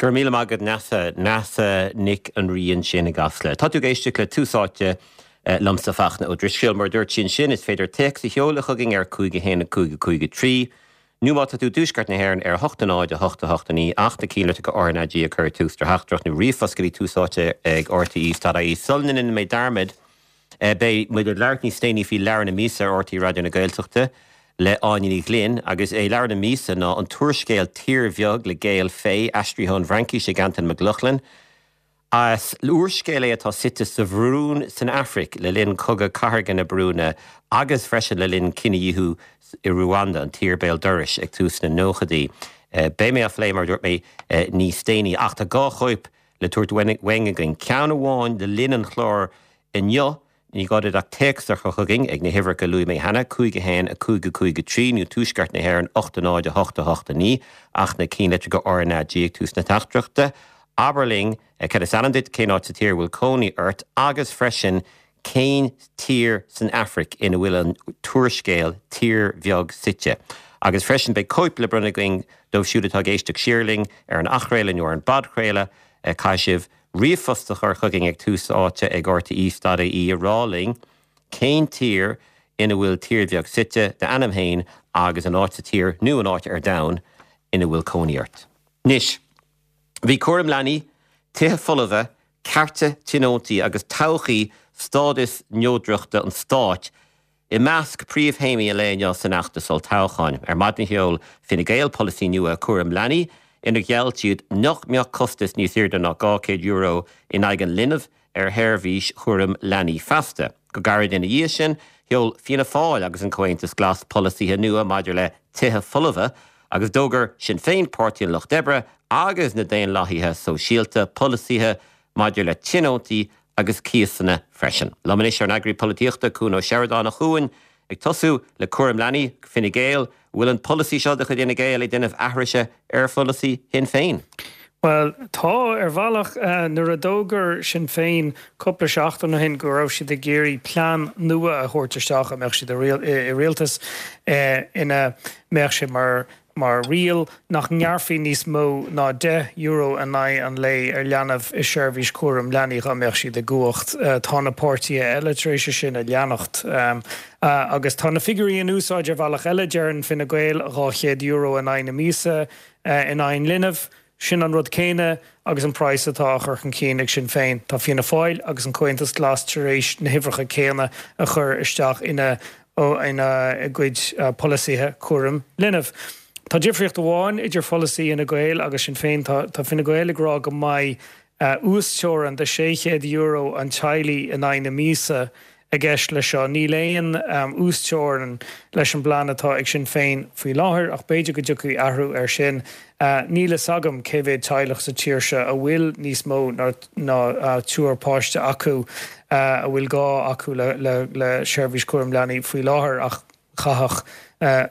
Go raibh míle maith agat Neasa. Neasa Nic an Rí ansin i gCasla. Tá tú ag éisteacht le Tús Áite liomsa Fachtna Ó Drisceoil. Mar a dúirt sí ansin, is féidir téacs a sheoladh chugainn ar 5 1 5 5 3 nó má tá tú i dtuaisceart na hÉireann ar 8 0 8 8 9 ach na cinnlitreacha RnaG a chur ag tús do theachtaireacht nó ríomhphost go dtí Tús Áite ag rte.ie. Sula ndéanann mé dearmad, Beidh muid ag labhairt níos déanaí faoi Leabhar na Míosa ar RTÉ Raidió na Gaeltachta le Áine Ní Ghlinn agus é Leabhar na Míosa ná an t-úrscéal Tír Bheag le Gael Faye, aistrithe ón bhFraincís ag Antain Mac Lochlainn. Is úrscéal é atá suite sa Bhurúin san Afraic le linn Cogadh Cathartha na Burúine agus freisin le linn cinedhíothú i Ruanda, an tír béal dorais, ag tús na nóchaidí. Beidh mé á phlé, mar a dúirt mé, níos déanaí ach tá dhá chóip le tabhairt uainn againn, ceann amháin le linn an chláir inniu, ní gá duit ach téacs a chur chugainn ag na huimhreacha a luaigh mé cheana, 5 1 5 5 3 nó Tuaisceart na hÉireann 8 0 8 8 9, ach na cinnlitreacha RnaG ag tús na teachtaireachta. Abair linn cad is ainm duit, cén áit sa tír a bhfuil cónaí ort agus freisin cén tír san Afraic ina bhfuil an t-úrscéal Tír Bheag suite. Agus freisin beidh cóip le bronnadh againn dóibh siúd atá ag éisteacht siar linn ar an athchraoladh nó ar an bpodchraoladh. Caithfidh sibh ríomhphost a chur chugainn ag tús áite ag rte.ie a rá linn cén tír ina bhfuil Tír Bheag suite, d'ainm féin agus an áit sa tír nó an áit ar domhan ina bhfuil cónaí ort. Anois, bhí cúram leanaí, tithe folmha, cearta tionóntaí agus todhchaí stádas neodrachta an stáit i measc príomhthéamaí an lae inniu san fheachtas olltoghcháin. Ar maidin sheol Fine Gael polasaí nua cúraim leanaí inar gheall siad nach mbeadh costas níos airde ná €200 in aghaidh an linbh ar sheirbhís chúraim leanaí feasta. Go gairid ina dhiaidh sin, sheol Fianna Fáil agus an Comhaontas Glas polasaithe nua maidir le tithe folmha agus d'fhógair Sinn Féin, Páirtí an Lucht Oibre agus na Daonlathaithe Sóisialta polasaithe maidir le tionóntaí agus cíosanna freisin. Liom anois ár n-eagraí polaitíochta, Cuan Ó Seireadáin. A Chuain, ag tosú le cúram leanaí, Fine Gael, bhfuil an polasaí seo de chuid Fhine Gael ag déanamh aithrise ar pholasaí Shinn Féin? Bhuel, tá, ar bhealach. Nuair a d'fhógair Sinn Féin cúpla seachtain ó shin go raibh siad ag iarraidh plean nua a thabhairt isteach a mbeadh siad i rialtas ina mbeadh sé mar mar riail nach ngearrfaí níos mó ná €10 in aghaidh an lae ar leanbh i seirbhís cúraim leanaí dá mbeadh siad i gcumhacht. Tá na páirtithe eile tar éis é sin a leanacht. Agus tá na figiúirí in úsáid ar bhealach eile, deireann Fine Gael €200 in aghaidh na míosa in aghaidh an linbh. Sin an rud céanna agus an praghas atá á chur chun cinn ag Sinn Féin. Tá Fianna Fáil agus an Comhaontas Glas tar éis na huimhreacha céanna a chur isteach ina gcuid polasaithe cúraim linbh. Tá difríocht amháin idir pholasaí Fhine Gael agus Sinn Féin. Tá Fine Gael ag rá go mbeidh uasteorainn de €600 an teaghlaigh in aghaidh na míosa i gceist leis seo. Níl aon uasteorainn leis an bplean atá ag Sinn Féin faoi láthair ach b'fhéidir go dtiocfaidh athrú air sin. Níl fhios agam cé mhéad teaghlach sa tír seo a bhfuil níos mó ná triúr páiste acu a bhfuil gá acu le seirbhís cúraim leanaí faoi láthair ach chaithfeadh,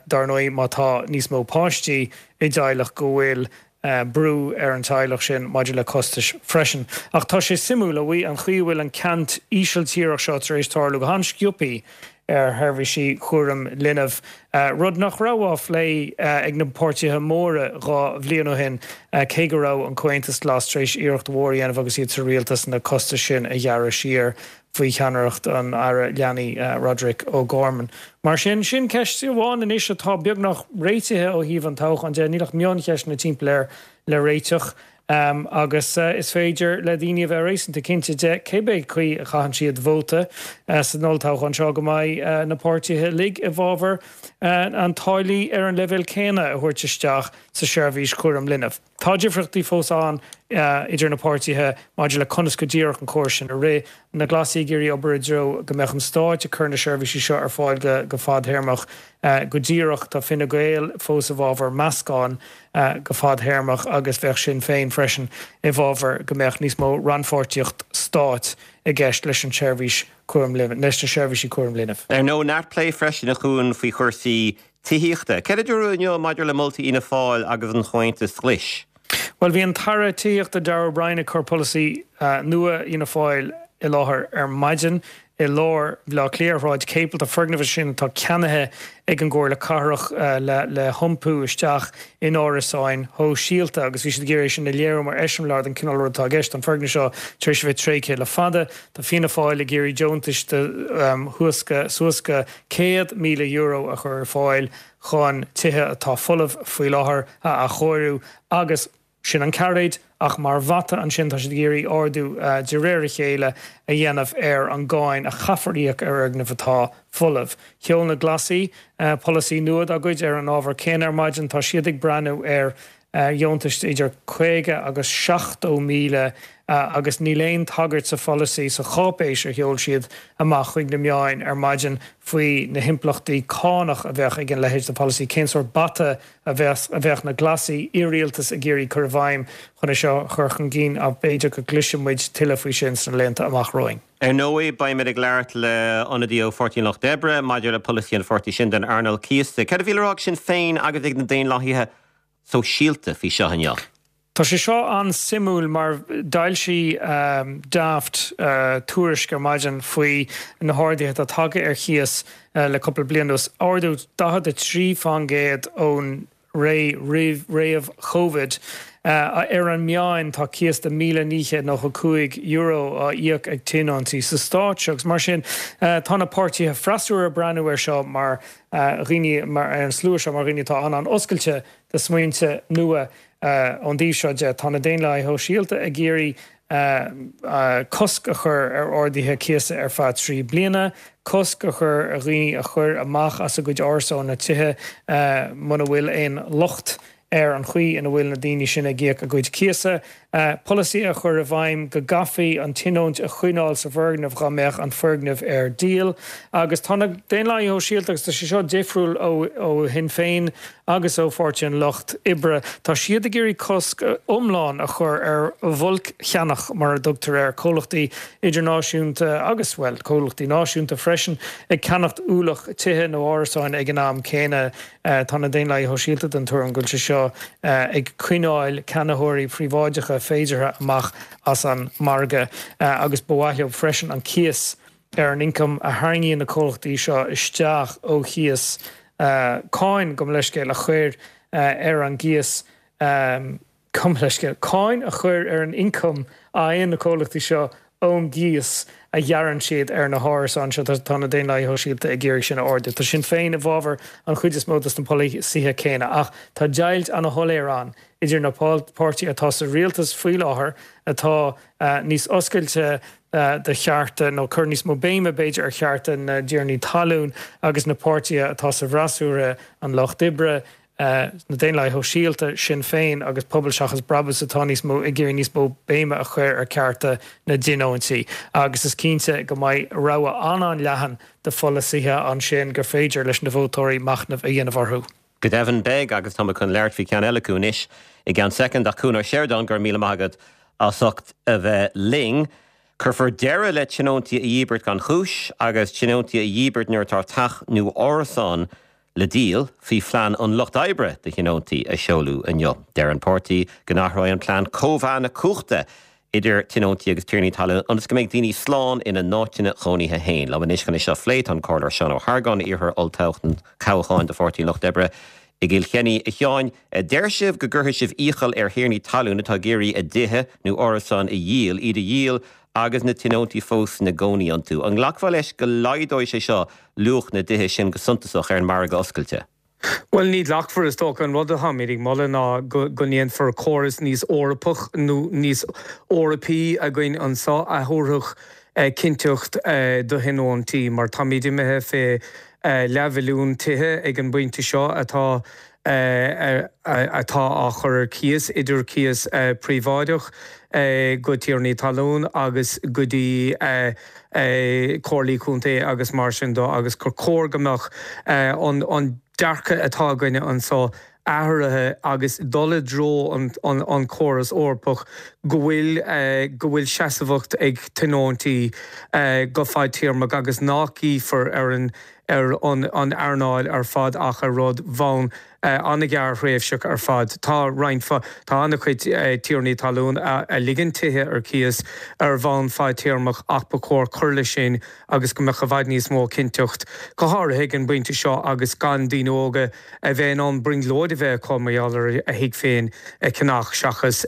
dar ndóigh, má tá níos mó páistí i dteaghlach go bhfuil brú ar an teaghlach sin maidir le costais freisin. Ach tá sé suimiúil, a bhuí, an chaoi a bhfuil an ceant Ísiltíreach seo tar éis tarlú go han-sciobthaí ar sheirbhísí chúram linbh, rud nach raibh á phlé ag na páirtithe móra 2 bhliain ó shin, cé go raibh an Comhaontas Glas tar éis iarracht mhór a dhéanamh agus iad sa rialtas na costais sin a ghearradh siar. faoi cheannaireacht an Aire Leanaí, Roderic O'Gorman. Mar sin, sin ceist amháin anois atá beagnach réitithe ó thaobh an toghcháin de. Níl ach mioncheisteanna timpeall air le réiteach agus is féidir le daoine a bheith réasúnta cinnte de, cébé caoi a chaitheann siad vóta san olltoghchán seo, go mbeidh na páirtithe uilig i bhfabhar an táillí ar an leibhéal céanna a thabhairt isteach sa seirbhís chúram linbh. Tá difríochtaí fós ann idir na páirtithe maidir le conas go díreach an córas sin a rith. Na Glasaigh ag iarraidh obair i dtreo go mbeadh an stáit ag cur na seirbhísí seo ar fáil go fadthéarmach go díreach. Tá Fine Gael fós i bhfabhar meascán go fadthéarmach agus bheadh Sinn Féin freisin i bhfabhar go mbeadh níos mó rannpháirtíocht stáit i gceist leis an tseirbhís cúraim linbh, leis na seirbhísí cúraim linbh. Ar ndóigh, neart plé freisin a Chuain faoi chúrsaí tithíochta. Céard a dúradh inniu maidir le moltaí Fhianna Fáil agus an Chomhaontais Ghlais? Bhuel, bhí an tAire Tithíochta Darragh O'Brien ag cur polasaí nua Fhianna Fáil i láthair ar maidin. i lár Bhaile Átha Cliath ar Shráid Capel. Tá foirgneamh ansin atá ceannaithe ag an gComhairle Cathrach le hiompú isteach in árasáin shóisialta agus bhí siad ag iarraidh é sin a léiriú mar eiseamláir den chineál rud atá i gceist. Tá an foirgneamh seo tar éis a bheith tréigthe le fada. Tá Fianna Fáil ag iarraidh deontais de shuas go €100,000 a chur ar fáil chun tithe atá folamh faoi láthair a athchóiriú agus Sin an cairéad, ach mar bhata ansin tá siad ag iarraidh ardú de réir a chéile a dhéanamh ar an gcáin a chaithfear íoc ar fhoirgnimh atá folamh. Sheol na Glasaigh polasaí nua dá gcuid ar an ábhar céanna ar maidin. Tá siad ag breathnú ar dheontais de idir 50 agus 70,000 agus níl aon tagairt sa pholasaí, sa cháipéis a sheol siad amach chuig na meáin ar maidin faoi na himpleachtaí cánach a bheadh ag an leithéid de pholasaí, cén sórt bata a bheadh na Glasaigh i rialtas ag iarraidh cur i bhfeidhm chun é seo a chur chun cinn ach b'fhéidir go gcloisfidh muid tuilleadh faoi sin sna laethanta amach romhainn. Ar ndóigh, beimid ag labhairt le ionadaí ó Pháirtí an Lucht Oibre maidir le polasaí an pháirtí sin don earnáil cíosa. Céard a bhí le rá ag Sinn Féin agus ag na Daonlathaithe Sóisialta faoi seo inniu? Tá sé seo an-suimiúil mar d'fhoilsigh Daft tuairisc ar maidin faoi na harduithe atá tagtha ar chíos le cúpla bliain anuas, ardú 43% ón ré roimh Chovid. Ar an meán tá cíos de €1,995 á íoc ag tionóntaí sa stát seo agus mar sin tá na páirtithe freasúra ag breathnú air seo mar dhaoine, ar an slua seo mar dhaoine atá an-an-oscailte do smaointe nua. Ón dtaobh seo de, tá na Daonlathaithe Shóisialta ag iarraidh cosc a chur ar arduithe cíosa ar feadh 3 bliana, cosc a chur ar dhaoine a chur amach as a gcuid árasán nó tithe muna bhfuil aon locht ar an chaoi ina bhfuil na daoine sin ag íoc a gcuid cíosa, polasaí a chur i bhfeidhm go gcaithfí an tionóint a choinneáil sa bhfoirgneamh dhá mbeadh an foirgneamh ar díol. Agus tá na Daonlathaithe Shóisialta, agus tá sé seo difriúil ó Shinn Féin agus ó Pháirtí an Lucht Oibre, tá siad ag iarraidh cosc iomlán a chur ar bhulc-cheannach, mar a dtugtar air, comhlachtaí idirnáisiúnta agus, bhuel, comhlachtaí náisiúnta freisin, ag ceannacht ualach tithe nó árasáin ag an am céanna. Tá na Daonlathaithe Shóisialta den tuairim go bhfuil sé seo ag coinneáil ceannaitheoirí príobháideacha féideartha amach as an margadh agus ba mhaith leo freisin an cíos ar an ioncam a tharraingíonn na comhlachtaí seo isteach ó chíos, cáin, gabh mo leithscéal, a chur ar an gcíos. Gabh mo leithscéal, cáin a chur ar an ioncam a fhaigheann na comhlachtaí seo ón gcíos a ghearrann siad ar na hárasáin seo. Tá na Daonlathaithe Shóisialta ag iarraidh sin a ardú. Tá Sinn Féin i bhfabhar an chuid is mó dos na polasaithe céanna ach tá deighilt ana-shoiléir ann idir na páirtithe atá sa rialtas faoi láthair atá níos oscailte do chearta nó cur níos mó béime b'fhéidir ar chearta na dtiarnaí talún agus na páirtithe atá sa bhfreasúra, an Lucht Oibre, na Daonlathaithe Shóisialta, Sinn Féin agus Pobal Seachas Brabús atá níos mó ag iarraidh níos mó béime a chur ar chearta na dtionóntaí agus is cinnte go mbeidh rogha an-an-leathan de pholasaithe ansin gur féidir leis na vótóirí machnamh a dhéanamh orthu. Go deimhin beidh agus tá mé chun labhairt faoi cheann eile acu anois i gceann soicind ach Cuan Ó Seireadáin, go raibh míle maith agat as ucht a bheith linn. Cuirfear deireadh le tionóntaí a dhíbirt gan chúis agus tionóntaí a dhíbirt nuair atá teach nó árasán le díol faoi phlean an Lucht Oibre do thionóntaí a seoladh inniu. Deir an páirtí go n-athróidh an plean cóimheá na cumhachta idir tionóntaí agus tiarnaí talún ionas go mbeidh daoine slán ina n-áiteanna chónaithe féin. Liom anois chun é seo a phlé tá an Comhairleoir Seán Ó hArgáin, iarrthóir olltoghcháin do Pháirtí an Lucht Oibre i gCill Chainnigh. A Sheáin, deir sibh go gcuirfidh sibh iachall ar thiarnaí talún atá ag iarraidh a dtithe nó árasáin a dhíol, iad a dhíol agus na tionóntaí fós ina gcónaí iontu. An nglacfá leis go laghdóidh sé seo luach na dtithe sin go suntasach ar an margadh oscailte? Bhuel, ní ghlacfar, is dócha. An rud atáimid ag moladh ná go ndéanfar córas níos Eorpach nó níos Eorpaí againn anseo a thabharfadh cinnteacht do thionóntaí mar táimid imithe fé leathmhilliún tithe ag an bpointe seo atá atá á chur ar cíos, idir cíos príobháideach go tiarnaí talún agus go dtí comhairlí contae agus mar sin de agus gur chóir go mbeadh an dearcadh atá againne anseo athraithe agus dul i dtreo an chóras Eorpach go bhfuil go bhfuil seasmhacht ag tionóntaí go fadtéarmach agus nach gcífear ar an. ar an earnáil ar fad ach ar rud bhonn an-ghearrthréimhseach ar fad. Tá roinnt, tá an-chuid tiarnaí talún a ligeann tithe ar cíos ar bhonn fadtéarmach ach ba chóir cur leis sin agus go mbeadh i bhfad níos mó cinnteacht, go háirithe ag an bpointe seo agus gan daoine óga a bheith in ann brionglóid a bheith acu mar gheall ar a thigh féin a cheannach seachas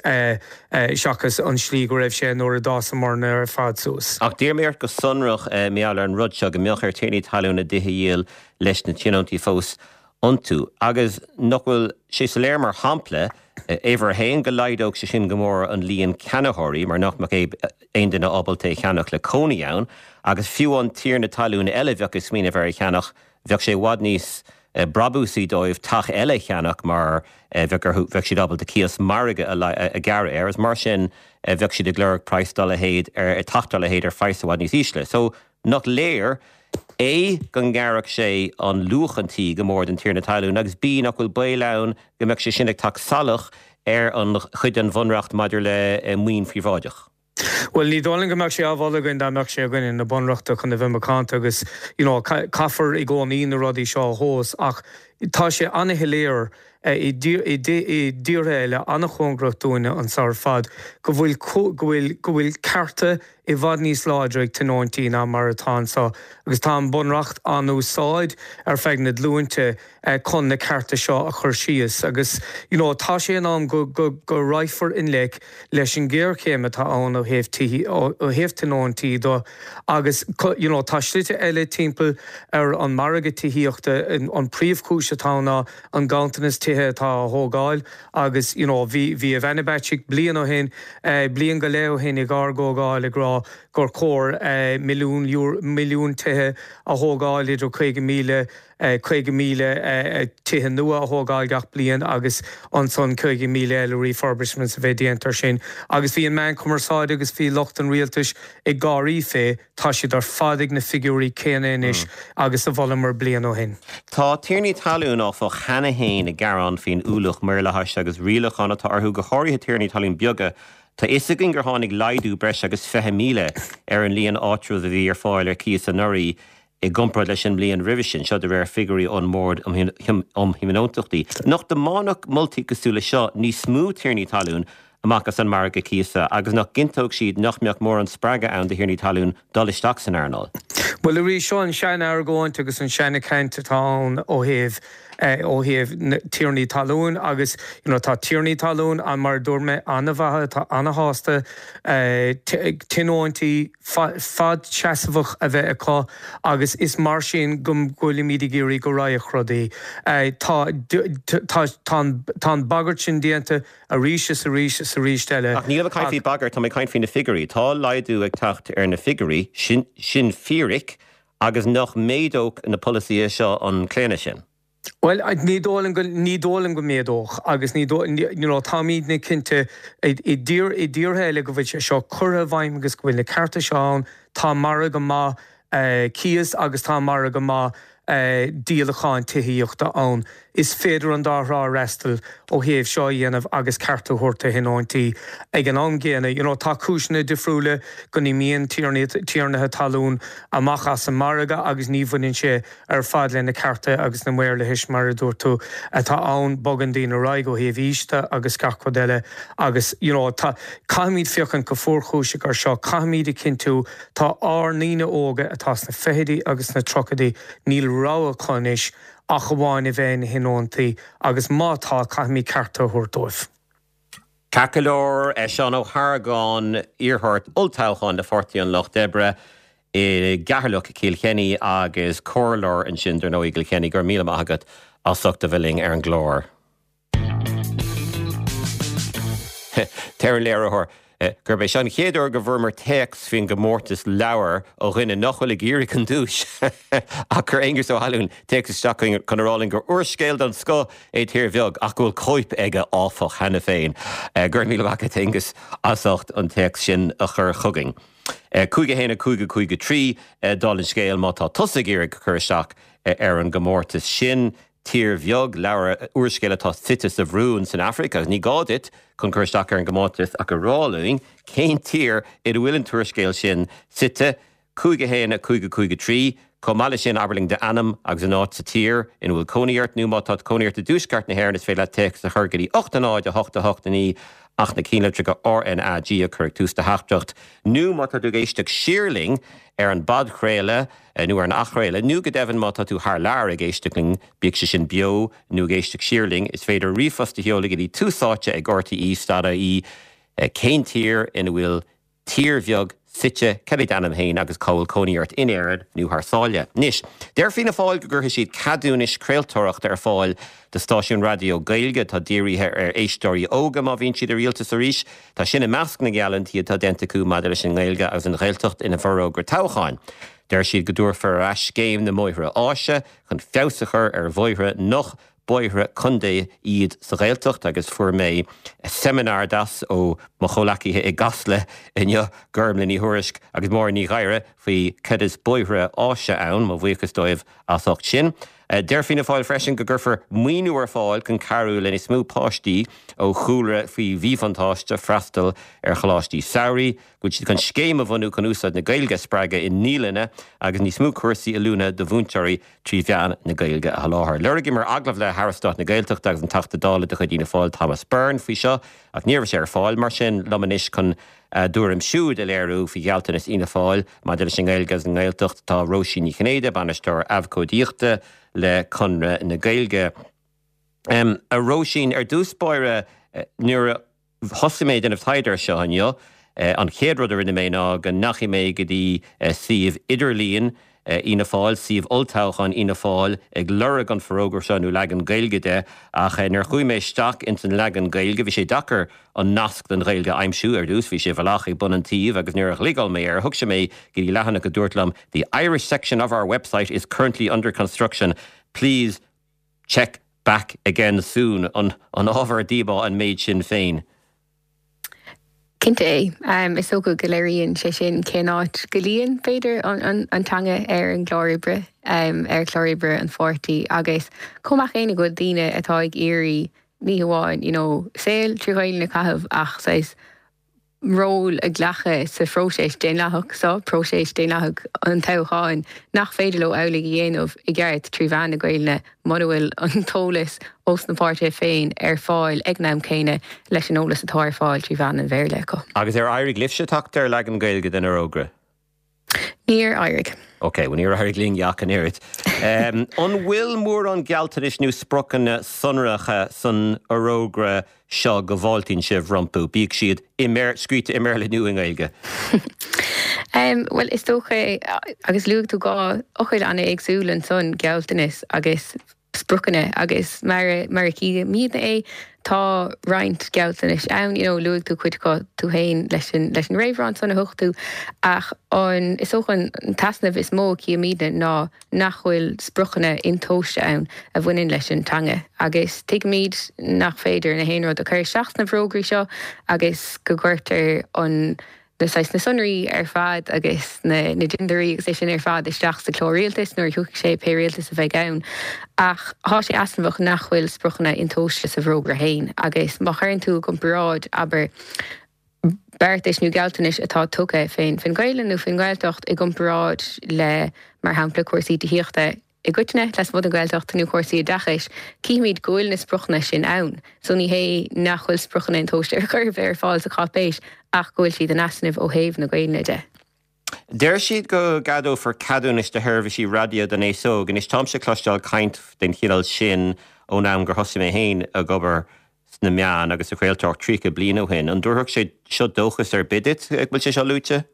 seachas an slí go raibh sé nuair a d'fhásamar ar fad suas. Ach d'iarr mé ort go sonrach mar gheall ar an rud seo, go mbeadh ar tiarnaí talún a dtithe a dhíol leis na tionóntaí fós iontu. Agus nach bhfuil sé soiléir mar shampla, uimhir a haon, go laghdódh sé sin go mór an líon ceannaitheoirí mar nach mbeadh aon duine ábalta é a cheannach le cónaí ann, agus fiú an tiarna talún eile a bheadh ag smaoineamh ar a cheannach, bheadh sé i bhfad níos brabúsaí dóibh teach eile a cheannach mar bheadh orthu, bheadh siad ábalta cíos margaidh a ghearradh air agus mar sin bheadh siad ag lorg praghas dá leithéid ar, teach dá leithéid ar phraghas i bhfad níos ísle. So, nach léir, A, go ngearrfadh sé an luach an tí go mór don tiarna talún agus B, nach bhfuil baol ann go mbeadh sé sin ag teacht salach ar an chuid den Bhunreacht maidir le maoin phríobháideach. Bhuel, ní dóigh liom go mbeadh sé á mholadh againn dá mbeadh sé againn ina bunreacht chun a bheith macánta agus you know caithfear i gcónaí na rudaí seo a thomhas ach tá sé an-shoiléir i dtíortha eile an-chóngarach dúinne anseo ar fad go bhfuil go bhfuil go bhfuil cearta i bhfad níos láidre ag tionóntaí ná mar atá anseo agus tá an Bunreacht á n-úsáid ar feadh na glúinte chun na cearta seo a chur síos agus you know tá sé in am go go go raghfar i ngleic leis an ghéarchéim atá ann ó thaobh tithe ó thaobh tionóntaí de agus you know tá slite eile timpeall ar an margadh tithíochta an príomhchúis atá ann ná an ganntanas tithe atá á thógáil agus you know bhí bhí Ivana Bacik bliain ó shin bliain go leith ó shin ag ár gcomhdháil ag rá gur chóir milliún milliún tithe a thógáil idir 50,000 50,000 tithe nua a thógáil gach bliain agus ansan 50,000 eile refurbishments a bheith déanta ar sin. Agus bhí an meán cumarsáide agus bhí lucht an rialtais ag gáirí fé, tá siad ar fad ag na figiúirí céanna anois agus a mholamar bliain ó shin. Tá tiarnaí talún, áfach, cheana féin ag gearán faoin ualach maorlathais agus rialachán atá orthu, go háirithe tiarnaí talún beaga. Tá fhios againn gur tháinig laghdú breis agus 20,000 ar an líon áitreabh a bhí ar fáil ar cíos anuraidh i gcomparáid leis an mbliain roimhe sin, seo de réir figiúirí ón mBord um Thionóntachtaí. Nach dtiomáinfeadh moltaí cosúil le seo níos mó tiarnaí talún amach as an margadh cíosa agus nach gcinnteodh siad nach mbeadh mórán spreagadh ann do thiarnaí talún dul isteach san earnáil? Bhuel, arís, seo an sean-argóint agus an seana-chaint atá ann ó thaobh ó thaobh na tiarnaí talún agus you know tá tiarnaí talún ann mar a dúirt mé an-mhaith atá an-shásta tionóntaí fadseasmhach a bheith acu agus is mar sin go bhfuilimid ag iarraidh go raghadh rudaí. Tá tá tá an tá an bagairt sin déanta arís is arís is arís eile Ach nílim ag caint faoi bagairt, tá mé ag caint faoi na figiúirí. Tá laghdú ag teacht ar na figiúirí, sin sin fíric agus nach méadódh na polasaithe seo an claonadh sin? Bhuel, ní dóigh liom go, ní dóigh liom go méadódh agus ní dóigh, you know, táimidne cinnte i dtír, i dtíortha eile go bhfuil sé seo curtha i bhfeidhm agus go bhfuil na cearta seo ann, tá margadh maith cíos agus tá margadh maith díolacháin tithíochta ann. Is féidir an dá thrá a fhreastal ó thaobh seo a dhéanamh agus cearta a thabhairt do thionóntaí ag an am gcéanna. You know, tá cúiseanna difriúla go n-imíonn tiarnaithe talún amach as an margadh agus ní bhaineann sé ar fad le na cearta agus na maorlathais, mar a dúirt tú, atá ann. Bogann daoine ar aghaidh ó thaobh aois de agus gach rud eile agus you know tá, caithfimid féachaint go fuarchúiseach ar seo, caithfimid a chinntiú, tá ár ndaoine óga atá sna fichidí agus sna tríochaidí, níl rogha acu anois ach amháin a bheith ina thionóntaí agus má tá, caithfimid cearta a thabhairt dóibh. Ceart go leor, Seán Ó hArgáin, iarrthóir olltoghcháin le Pháirtí an Lucht Oibre i gCeatharlach, Cill Chainnigh agus comhairleoir ansin, dar ndóigh, i gCill Chainnigh. Go raibh míle maith agat as ucht a bheith linn ar an gclár. Deir an léiritheoir gurb é seo an chéad uair go bhfuaireamar téacs faoin gcomórtas leabhar ó dhuine nach bhfuil ag iarraidh an duais ach chuir Aengus Ó hAlmhain téacs isteach chun a rá linn gur úrscéal den scoth é Tír Bheag ach go bhfuil cóip aige áfach cheana féin. Go raibh míle maith agat Aengus as ucht an téacs sin a chur chugainn. 5 1 5 5 3 Dála an scéil má tá tusa ag iarraidh cur isteach ar an gcomórtas sin, Tír Bheag, leabhar úrscéal atá suite sa Bhrúin san Afraic agus ní gá duit chun cur isteach ar an gcomórtas ach a rá linn cén tír ina bhfuil an t-úrscéal sin suite. 5 1 5 5 3. Chomh maith leis sin, abair linn d'ainm agus an áit sa tír ina bhfuil cónaí ort, nó má tá cónaí ort i dtuaisceart na hÉireann, is féidir leat téacs a chur go dtí 8 0 8 8 9 ach na cinnlitreacha RnaG a chur ag tús do theachtaireacht. Nó má tá tú ag éisteacht siar linn ar an bpodchraoladh nó ar an athchraoladh, nó go deimhin má tá tú thar lear ag éisteacht linn, bíodh sé sin beo nó ag éisteacht siar linn, is féidir ríomhphost a sheoladh go dtí túsáite ag rte.ie. Cén tír ina bhfuil tír bheag suite, cad é d'ainm féin agus cá bhfuil cónaí ort in Éirinn nó thar sáile. Anois, deir Fianna Fáil go gcuirfidh siad ceadúnais craoltóireachta ar fáil do stáisiúin raidió Gaeilge atá dírithe ar éisteoirí óga má bhíonn siad i rialtas arís. Tá sin i measc na ngeallúintí atá déanta acu maidir leis an nGaeilge agus an Ghaeltacht ina bhforógra toghcháin. Deir siad go dtabharfar ar ais scéim na mbóithre áise chun feabhas a chur ar bhóithre nach bóithre contae iad sa Ghaeltacht agus fuair mé seimineár deas ó mo chomhleacaithe i gCasla inniu, Gormlaith Ní Thuairisg agus Máire Ní Ghadhra faoi cad is bóithre áise ann, mo bhuíochas dóibh as ucht sin. Deir Fianna Fáil freisin go gcuirfear maoiniú ar fáil chun cabhrú le níos mó páistí ó chúlra faoi mhíbhuntáiste freastal ar choláistí samhraidh, go bhfuil siad chun scéim a bhunú chun úsáid na Gaeilge a spreagadh i naíolanna agus níos mó cúrsaí oiliúna do mhúinteoirí trí mheán na Gaeilge a sholáthar. Lorgaíomar agallamh le hAire Stáit na Gaeltachta agus an Teachta Dála de chuid Fhianna Fáil Thomas Byrne faoi seo ach ní raibh sé ar fáil. Mar sin, liom anois chun a dtuairim siúd a léiriú faoi ghealltanas Fhianna Fáil maidir leis an nGaeilge agus an nGaeltacht tá Róisín Ní Chinnéide, Bainisteoir Abhcóidíochta le Conradh na Gaeilge. A Róisín, ar dtús báire, nuair a. Thosaigh mé ag déanamh taighde ar seo inniu. An chéad rud a rinne mé ná go ndeachaigh mé go dtí suíomh idirlíon Fhianna Fáil, suíomh olltoghcháin Fhianna Fáil, ag lorg an forógra seo nó leagan Gaeilge de, ach nuair a chuaigh mé isteach ins an leagan Gaeilge, bhí sé deacair an nasc don Ghaeilge a aimsiú. Ar dtús, bhí sé i bhfolach ag bun an tsuímh agus nuair a ghliogáil mé air, thug sé mé go dtí leathanach a dúirt liom The Irish section of our website is currently under construction. Please check back again soon. An ábhar díomá an méid sin féin? Cinnte é. Is dócha go léiríonn sé sin cén áit go luíonn, b'fhéidir, an teanga ar an gclár oibre, ar chlár oibre an pháirtí agus chomh maith céanna go bhfuil daoine atá ag iarraidh ní hamháin you know saol trí Ghaelainn a chaitheamh ach saghas ról a ghlacadh sa phróiseas daonlathach seo, próiseas daonlathach an toghcháin, nach féidir leo amhlaidh a dhéanamh i gceart trí mheán na Gaelainne mura bhfuil an t-eolas ós na páirtithe féin ar fáil ag an am céanna leis an eolas atá ar fáil trí mheán an Bhéarla acu. Agus ar éirigh libhse teacht ar leagan Gaeilge den fhorógra? Níor éirigh. Ok, bhuel níor éirigh linn ach an oiread. An bhfuil mórán gealltanais nó spriocanna sonracha san fhorógra seo go bhfáiltíonn sibh rompu, bíodh siad i scríte i mBéarla nó i nGaeilge? Bhuel, is dócha, agus luaigh tú dhá fhocal an-éagsúil ansan, gealltanas agus spriocanna agus mar mar a chímidne é tá roinnt gealltanais ann, you know luaigh tú cuid acu tú féin leis an leis an réamhrá ansan a thug tú ach an is dócha an t-easnamh is mó a chímidne ná nach bhfuil spriocanna intomhaiste ann a bhaineann leis an teanga agus tuigimid nach féidir na haon rud a chur isteach sna forógraí seo agus go gcuirtear an na saghas na sonraí ar fad agus na na dintiúirí agus é sin ar fad isteach sa chlár rialtais nuair a thiocfaidh sé, pé rialtas a bheidh ann. Ach thá sé easnamhach nach bhfuil spriocanna intomhaiste sa bhforógra féin agus má chuireann tú i gcomparáid, abair, beartais nó gealltanais atá tugtha fén fén Ghaelainn nó fén nGaeltacht i gcomparáid le, mar shampla, cúrsaí tithíochta, i gcoitinne, lasmuigh den Ghaeltacht nó cúrsaí oideachais, cífimid go bhfuil na spriocanna sin ann. So ní hé nach bhfuil spriocanna intomhaiste ar chor ar bith ar fáil sa cháipéis ach go bhfuil siad in easnamh ó thaobh na Gaelainne de. Deir siad go gceadófar ceadúnais do sheirbhísí raidió don aos óg. Anois táimse ag cloisteáil caint den chineál sin ón am gur thosaigh mé féin ag obair sna meáin agus sa chraoltóireacht 30 bliain ó shin. An dtabharfadh sé seo dóchas ar bith duit go bhfuil sé seo luaite?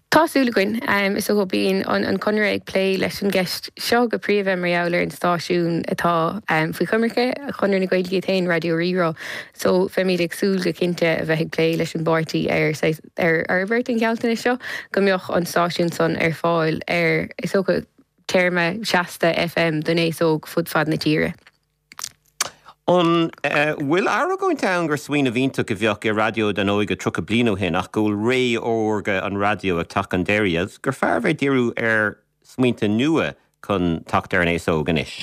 Tá súil againn. Is dócha bíonn an Conradh ag plé leis an gceist seo go príomha mar gheall ar an stáisiún atá faoi choimirce Chonradh na Gaeilge iad féin, Raidió Rí-Rá. So bheimid ag súil go cinnte a bheith ag plé leis an bpáirtí ar saghas ar fhorbairt an ghealltanais seo go mbeadh an stáisiún san ar fáil ar, is dócha, téarma seasta FM don aos óg fud fad na tíre. An bhfuil argóint ann gur smaoineamh iontach a bheadh i raidió don óige 30 bliain ó shin ach go bhfuil ré órga an raidió ag teacht chun deiridh agus gur fearr a bheith ag díriú ar smaointe nua chun teacht ar an aos óg anois?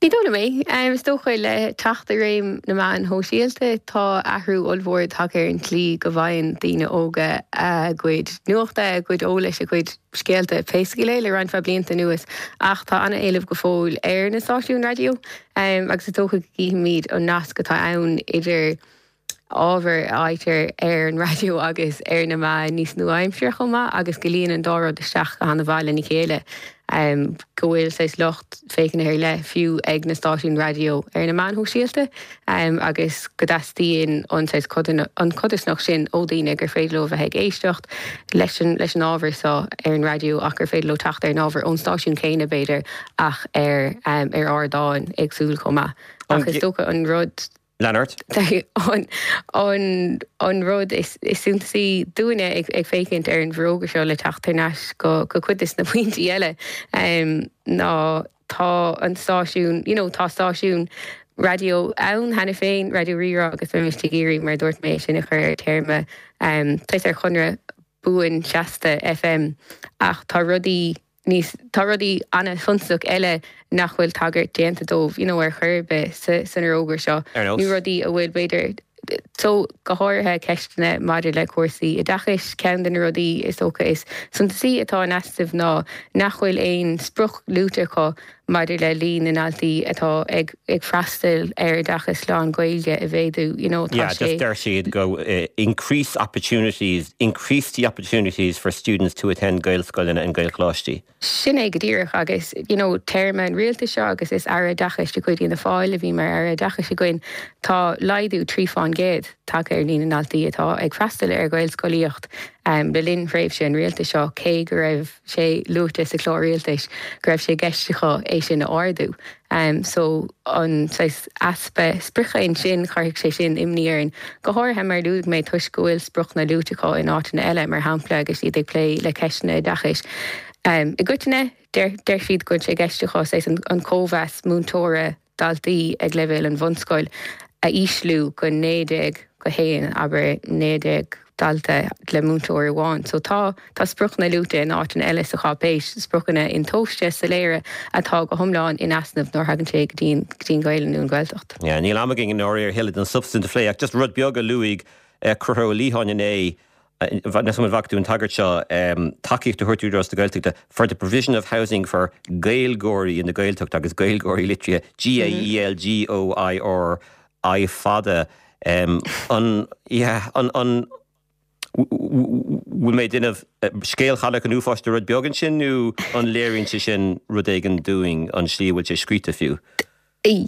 Ní dóigh liom é. Is dócha le teacht i réim na meáin shóisialta tá athrú ollmhór tagtha ar an tslí go bhfaigheann daoine óga a gcuid nuachta, a gcuid eolais, a gcuid scéalta, pé scéal é, le roinnt mhaith blianta anuas. Ach tá an-éileamh go fóill ar na stáisiúin raidió agus is dócha go gcífimid an nasc atá ann idir ábhar a fhaightear ar an raidió agus ar na meáin níos nua-aimseartha chomh maith agus go luíonn an dá rud isteach go han-mhaith lena chéile, go bhfuil saghas lucht féachana ar leith fiú ag na stáisiúin raidió ar na meáin shóisialta agus go dteastaíonn an saghas an chodarsnacht sin ó dhaoine gur féidir leo a bheith ag éisteacht leis an leis an ábhar seo ar an raidió ach gur féidir leo teacht ar an ábhar ón stáisiún céanna b'fhéidir ach ar ar ardáin éagsúil chomh maith. Ach is dócha an rud. Lean ort. An rud is suntasaí dúinne ag féachaint ar an bhforógra seo le teacht thar n-ais go cuid de na pointí eile ná tá an stáisiún, you know, tá stáisiún raidió ann cheana féin, Raidió Rí-Rá agus bheimis ag iarraidh, mar a dúirt mé, é sin a chur ar téarma, saghas ar chonradh buan seasta FM ach tá rudaí níos, tá rudaí an-suntasach eile nach bhfuil tagairt déanta dóibh, you know, ar chor ar bith sa, san fhorógra seo. Ar nós? Nó rudaí a bhfuil, b'fhéidir, so, go háirithe ceisteanna maidir le cúrsaí oideachais. Ceann de na rudaí is dócha is suntasaí atá in easnamh ná nach bhfuil aon sprioc luaite acu maidir le líon na ndaltaí atá ag, ag freastal ar oideachas lán-Ghaeilge a mhéadú, you know, tá Yeah, just sé. deir siad go increase opportunities, increase the opportunities for students to attend Gaelscoileanna and Gaelcholáistí. Sin é go díreach agus, you know, téarma an rialtais seo agus is Aire Oideachais de chuid Fhianna Fáil a bhí mar Aire Oideachais againn, tá laghdú 3 fán gcéad tagtha ar líon na ndaltaí atá ag freastal ar Ghaelscolaíocht le linn thréimhse an rialtais seo, cé go raibh sé luaite sa chlár rialtais go raibh sé i gceist acu é sin a ardú. So an saghas easpa sprice ansin, chuirfeadh sé sin imní orainn, go háirithe mar a luaigh mé toisc go bhfuil spriocanna luaite acu in áiteanna eile, mar shampla agus iad ag plé le ceisteanna oideachais. I gcoitinne, deir siad go bhfuil sé i gceist acu saghas an cóimheas múinteora, daltaí ag leibhéal an bhunscoil a ísliú go 19 go 1, abair 19 dalta le múinteoir amháin. So tá, tá spriocanna luaite in áiteanna eile sa cháipéis, spriocanna intomhaiste, soiléire atá go hiomlán in easnamh nuair a thagann sé go dtí an, go dtí an Ghaelainn nó an Ghaeltacht. Yeah, níl am againn i ndáiríre a thuilleadh den substaint a phlé ach just rud beag a luaigh Conchúr Ó Liatháin inné, Níl an bhfaca tú an tagairt seo, tacaíocht a thabhairt d'Údarás na Gaeltachta for the provision of housing for Gaeilgeoirí in the Gaeltacht agus Gaeilgeoirí litrithe G-A-E-L-G-O-I-R I fada. An, yeah, an, an, bhfuil mé ag déanamh scéal Chailleach an Uafáis de rud beag ansin nó an léiríonn sé sin rud éigin dúinn, an slí a bhfuil sé scríte fiú? Is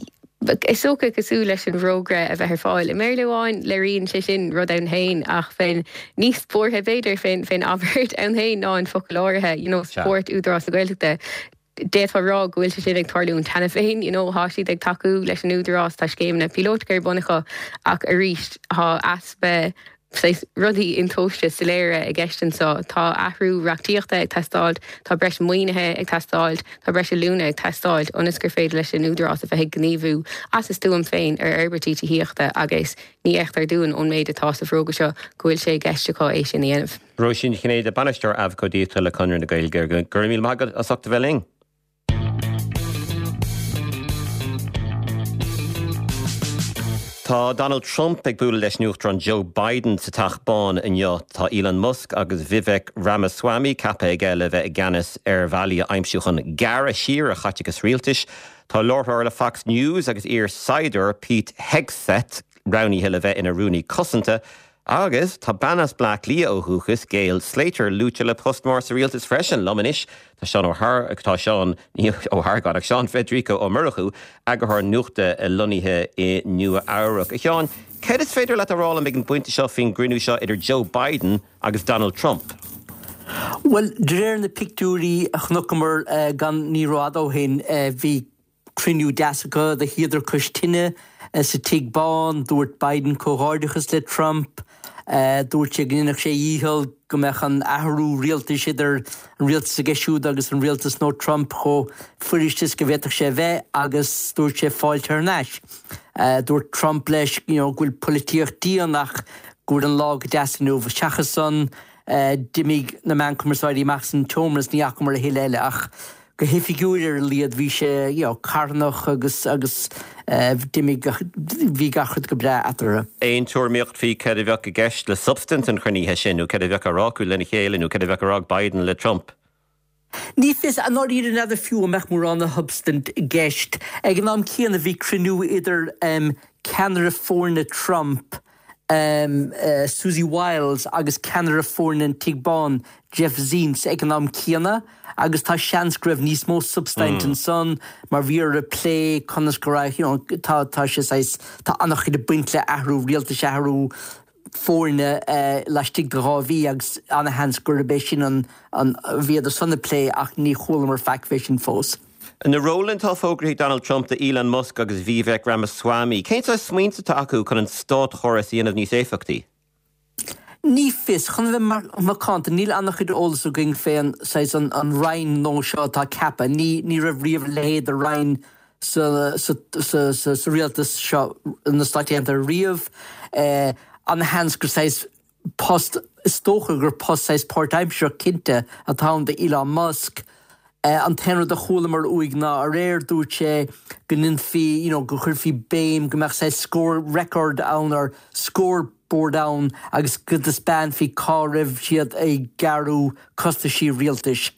dócha, cosúil leis an bhforógra a bheith ar fáil i mBéarla amháin, léiríonn sé sin rud ann féin ach bheinn níos buartha, b'fhéidir, fén fén abairt ann féin ná an focal áirithe, you know, support Údarás na Gaeltachta. D'fhéadfá a rá go bhfuil sé sin ag tarlúint cheana féin, you know, tá siad ag tacú leis an Údarás, tá scéimeanna píolótacha ar bun acu ach arís tá easpa saghas rudaí intomhaiste soiléire i gceist anseo. Tá athrú reachtaíochta ag teastáilt, tá breis maoinithe ag teastáilt, tá breis oiliúna ag teastáilt ionas gur féidir leis an Údarás a bheith ag gníomhú as a stuaim féin ar fhorbairtí tithíochta agus ní fheictear dúinn ón méid atá sa bhforógra seo go bhfuil sé i gceist acu é sin a dhéanamh. Róisín Ní Chinnéide, Bainisteoir Abhcóideachta le Conradh na Gaeilge, go raibh míle maith agat as ucht a bheith linn. Tá Donald Trump ag bualadh leis an Uachtarán Joe Biden sa Teach Bán inniu. Tá Elon Musk agus Vivek Ramaswamy ceaptha aige le bheith i gceannas ar bhealaí a aimsiú chun gearradh siar ar chaiteachas rialtais. Tá láithreoir le Fox News agus iar-saighdiúir Pete Hegseth roghnaithe le bheith ina Rúnaí Cosanta. Agus tá bean as Bleá Cliath ó dhúchas, Gail Slater, luaite le post mór sa rialtas freisin. Liom anois tá Seán Ó Har, tá Seán, ní Ó hArgáin, ach Seán Federico Ó Murchú, eagarthóir nuachta lonnaithe i Nua Eabhrac. A Sheáin, céard is féidir leat a rá liom ag an bpointe seo faoin gcruinniú seo idir Joe Biden agus Donald Trump? Bhuel, de réir na pictiúirí a chonaiceamar gan ní rófhada ó shin, bhí Cruinniú deas acu, do shuíodar cois tine sa Tigh Bán. Dúirt Biden comhghairdeachas le Trump. Dúirt sé go ndéanfadh sé a dhícheall go mbeadh an athrú rialtais idir an rialtas aige siúd agus an rialtas no Trump chomh fuirist is go bhféadfadh sé a bheith agus dúirt sé fáilte thar n-ais. Dúirt Trump leis you know go bhfuil polaitíocht dian ach go bhfuil an lá go deas inniu. Seachas san, d'imigh na meáin cumarsáide amach as an tseomra is ní fhacamar a thuilleadh eile ach. Go hoifigiúil ar a laghad bhí sé, you know, carthanach agus agus d'imigh gach, bhí gach rud go breá eatarthu. Aon tuairimíocht faoi céard a bheadh i gceist le substaint an chruinnithe sin nó céard a bheadh á rá acu lena chéile nó céard a bheadh á rá ag Biden le Trump? Ní fios, i ndáiríre n'fheadar fiú an mbeadh mórán de shubstaint i gceist. Ag an am céanna bhí cruinniú idir ceannaire foirne Trump, Susie Wiles agus ceannaire foirne an Tigh Bán, Jeff Zients ag an am céanna agus tá seans go raibh níos mó substaint ansan mar bhí orthu plé conas go raibh, you know, tá, tá sé saghas, tá an-chuid ag baint le athrú rialtais, athrú foirne laistigh de 2 mhí agus ana-sheans gurb é sin an, an, bhíodar san ag plé ach ní chualamar faic fé sin fós. Na rólanna atá fógraithe ag Donald Trump do Elon Musk agus Vivek Ramaswamy, cén saghas smaointe atá acu chun an státchóras a dhéanamh níos éifeachtaí? Ní fios. Chun a bheith macánta, níl an-chuid eolas againn fén saghas an roinn nua seo atá ceaptha. Ní ní raibh riamh a leithéid de roinn sa sa sa sa rialtas seo na Stáit Aontaithe riamh. Ana-sheans gur saghas post, is dócha gur post saghas páirtaimsearach cinnte atá ann do Elon Musk. An t-aon rud a chualamar uaidh ná aréir, dúirt sé go ndéanfaí, you know, go gcuirfí béim, go mbeadh saghas score record ann or scoreboard ann agus go dtaispeánfaí cá raibh siad ag gearradh costaisí rialtais.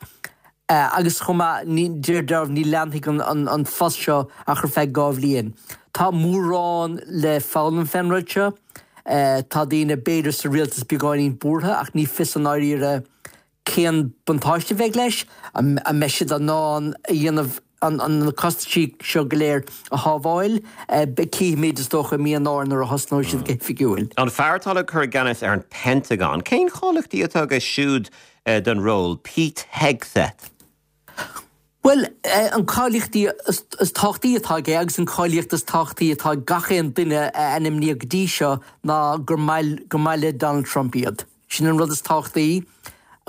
Agus chomh maith, ní, de réir dealraimh, ní leanfaidh an post seo ach ar feadh 2 bhliain. Tá mórán le foghlaim fén rud seo. Tá daoine, b'fhéidir, sa rialtas beagáinín buartha ach ní fios i ndáiríre cén buntáiste a bheidh leis. An mbeidh siad in ann a dhéanamh na costaisí seo go léir a shábháil? Cífimid, is dócha, i mí Eanáir nuair a thosnóidh siad go hoifigiúil. An fear atá le cur i gceannas ar an Pentagon, cén cháilíochtaí atá aige siúd don ról, Pete Hegseth? Bhuel, an cáilíochtaí is tábhachtaí atá aige agus an cáilíocht is tábhachtaí atá ag gach aon duine a ainmníodh go dtí seo ná gur maith gur maith le Donald Trump iad. Sin an rud is tábhachtaí.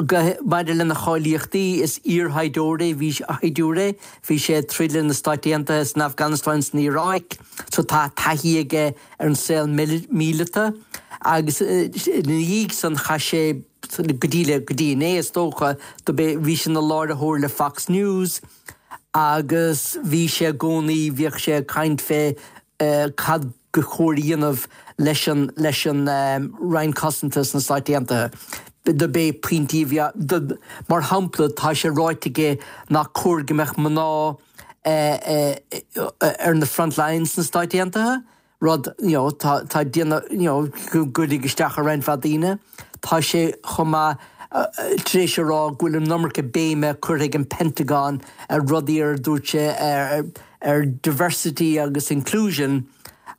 Maidir lena cháilíochtaí, is iar-shaighdiúir é, bhí shaighdiúir é, bhí sé ag troid le na Stáit Aontaithe san Afganastáin, san Iaráic, so tá taithí aige ar an saol míleata agus ina dhiaidh san chaith sé go dtí le go dtí inné is dócha, do b'é bhí sé ina láithreoir le Fox News agus bhí sé i gcónaí bhíodh sé ag caint fé cad gur chóir a dhéanamh leis an leis an Roinn Cosanta sna Stáit Aontaithe. Do b'é pointí a bhí á do mar shampla tá sé ráite aige nach cóir go mbeadh mná ar na front lines sna Stáit Aontaithe. rud you know tá tá ag déanamh you know go gcuirfidh isteach ar roinnt mhaith daoine. Tá sé chomh maith tar éis a rá go bhfuil an iomarca béime curtha ag an Pentagon ar rudaí ar dúirt sé ar ar diversity agus inclusion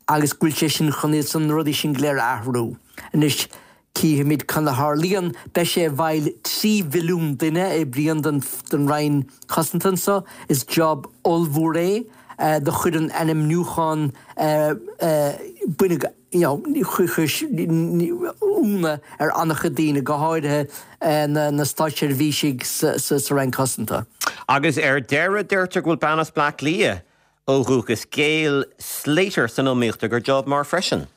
agus go bhfuil sé sin chun iad san na rudaí sin go léir a athrú. Anois Cífimid cad a tharlaíonn. Beidh sé i bhfeighil 3 mhilliún duine a oibríonn don Roinn Cosanta anso. Is job ollmhór é. Do chuir an ainmniúchán baineadh you know chuir ionadh ar an-chuid daoine, go háirithe na státseirbhísigh sa Roinn Cosanta. Agus ar deireadh, deirtear go bhfuil bean as Bleá Cliath ó dhúchas, Gail Slater, san iomaíocht do job mar freisin.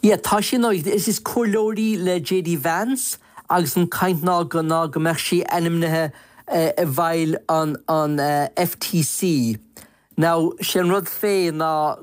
Yeah, tá sí ina, is comhairleoir í le JD Vance agus an caint ná go ná go mbeadh sí ainmnithe i bhfeighil an an FTC. Now, sé an rud fé ná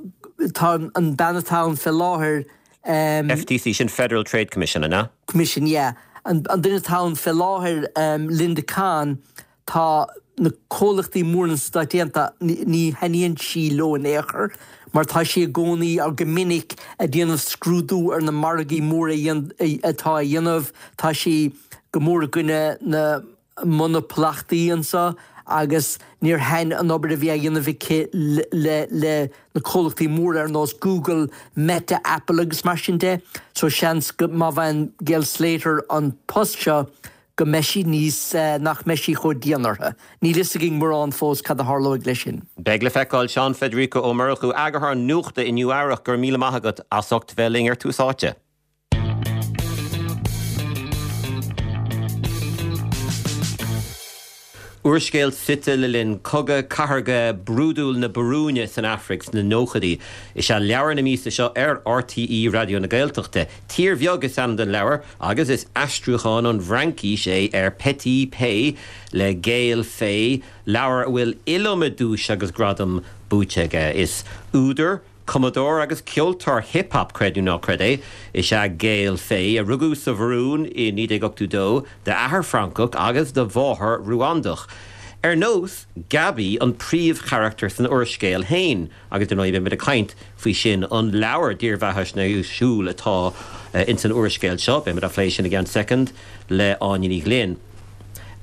tá an bean atá ann fé láthair, FTC, sin Federal Trade Commission, an ea? Commission, yeah. An duine atá ann fé láthair, Linda Khan, Tá na comhlachtaí móra na Stáit Aontaithe, ní thaitníonn sí leo in aon chor mar tá sí i gcónaí, or go minic, ag déanamh scrúdú ar na margaí móra atá á dhéanamh. Tá sí go mór i gcoinne na monaplachtaí anseo agus níor thaitin an obair a bhí á dhéanamh aici le le na comhlachtaí móra ar nós Google, Meta, Apple agus mar sin de. So seans go má bhfaigheann Gail Slater an post seo, go mbeidh sí níos, nach mbeidh sí chomh dian orthu. Níl fhios againn mórán fós cad a tharlóidh leis sin. Beidh le feiceáil. Seán Federico Ó Murchú, Eagarthóir Nuachta Inniu Eabhrac, go raibh míle maith agat as ucht bheith linn ar Tús Áite. Úrscéal suite le linn cogadh cathartha brúidiúil na Burúine san Afraic sna nóchaidí is ea leabhar na míosa seo ar RTÉ Raidió na Gaeltachta. Tír Bheag is ainm don leabhar agus is aistriúchán ón bhFraincís é ar Petit Pays le Gaël Faye, leabhar a bhfuil iliomad duais agus gradam buaite aige. Is údar, Cumadóir agus ceoltóir hip hop, creid nó ná creid é, is ea Gaël Faye, a rugadh sa Bhurúin i 1982 d'athair Francach agus do mháthair Ruandach. Ar nós Gaby, an príomhcharachtar san úrscéal féin, agus dar ndóigh beimid ag caint faoi sin, an leabhar dírbheathaisnéisiúil atá ins an úrscéal seo, beimid á phlé sin i gceann soicind le Áine Ní Ghlinn.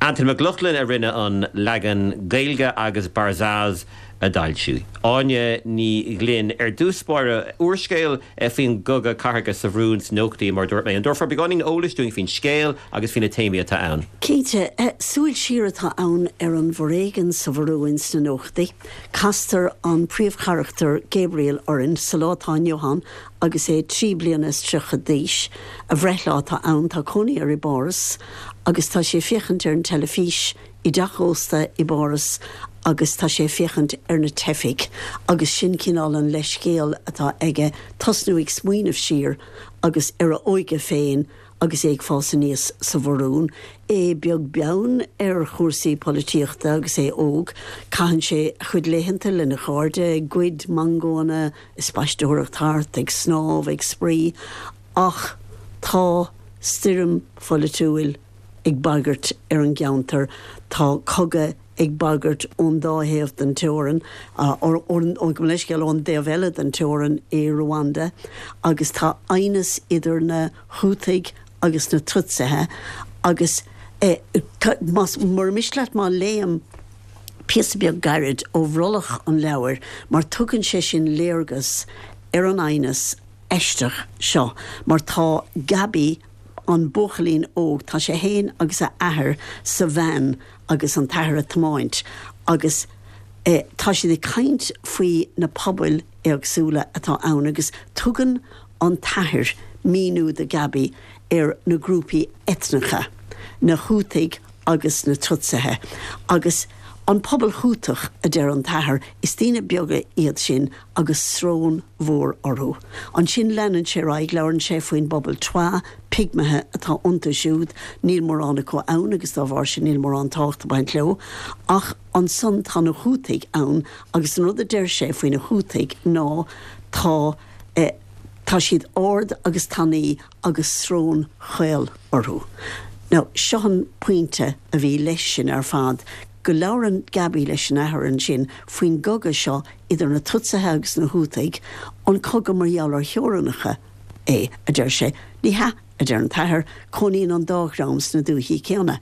Antain Mac Lochlainn a rinne an leagan Gaeilge agus Barzaz a d'fhoilsigh. Áine Ní Ghlinn, Ar dtús báire, úrscéal faoin gcogadh cathartha sa Bhurúin sna nóchaidí, mar a dúirt mé. An dtabharfá beagáinín eolais dúinn faoin scéal agus faoi na téamaí atá ann? Cinnte. Súil siar atá ann ar an bhforéigean sa Bhurúin sna nóchaidí. Castar an príomhcharachtar Gabriel orainn sa lá atá inniu ann agus é 33 bliana d'aois. A bhreithlá atá ann, tá cónaí air i bPáras agus tá sé ag féachaint ar an teilifís i dteach ósta i bPáras agus tá sé ag féachaint ar na teifigh agus sin cineál an leithscéal atá aige tosnú ag smaoineamh siar agus ar a óige féin agus é ag fás aníos sa Bhurúin, é beag beann ar chúrsaí polaitíochta agus é óg. Caitheann sé a chuid laethanta lena chairde ag goid mangóanna, ag spaisteoireacht thart, ag snámh, ag spraoi ach tá stoirm pholaitiúil ag bagairt ar an gceantar. Tá cogadh ag bagairt ón dá thaobh den teorainn, gabh mo leithscéal, ón dtaobh eile den teorainn i Ruanda agus tá aighneas idir na Hútaigh agus na Tutsaithe agus más, mura miste leat má léim píosa beag gairid ó bhrollach an leabhair mar tugann sé sin léargas ar an aighneas aisteach seo mar tá Gaby, an buachaillín óg, tá sé fhéin agus a athair sa veain agus an t-athair ag tiomáint agus tá siad ag caint faoi na pobail éagsúla atá ann agus tugann an t-athair míniú do Gaby ar na grúpaí eitneacha, na Hútaigh agus na Tutsaithe. Agus an pobal Hútach, a deir an t-athair, is daoine beaga iad sin agus srón mhór orthu. Ansin leanann sé ar aghaidh, labhrann sé faoin bpobal Twa, pigmithe atá iontu siúd, níl mórán acu ann agus dá bharr sin níl mórán tábhacht ag baint leo. Ach ansan tá na Hútaigh ann agus an rud a deir sé faoi na Hútaigh ná tá eh tá siad ard agus tanaí agus srón chaol orthu. Now seo an pointe a bhí leis sin ar fad, go labhrann Gaby leis an athair ansin faoin gcogadh seo idir na Tutsaithe agus na Hútaigh, an cogadh mar gheall ar theorainneacha é, a deir sé. Ní hea, a deir an t-athair, cónaíonn an dá dhream sna dúichí céanna.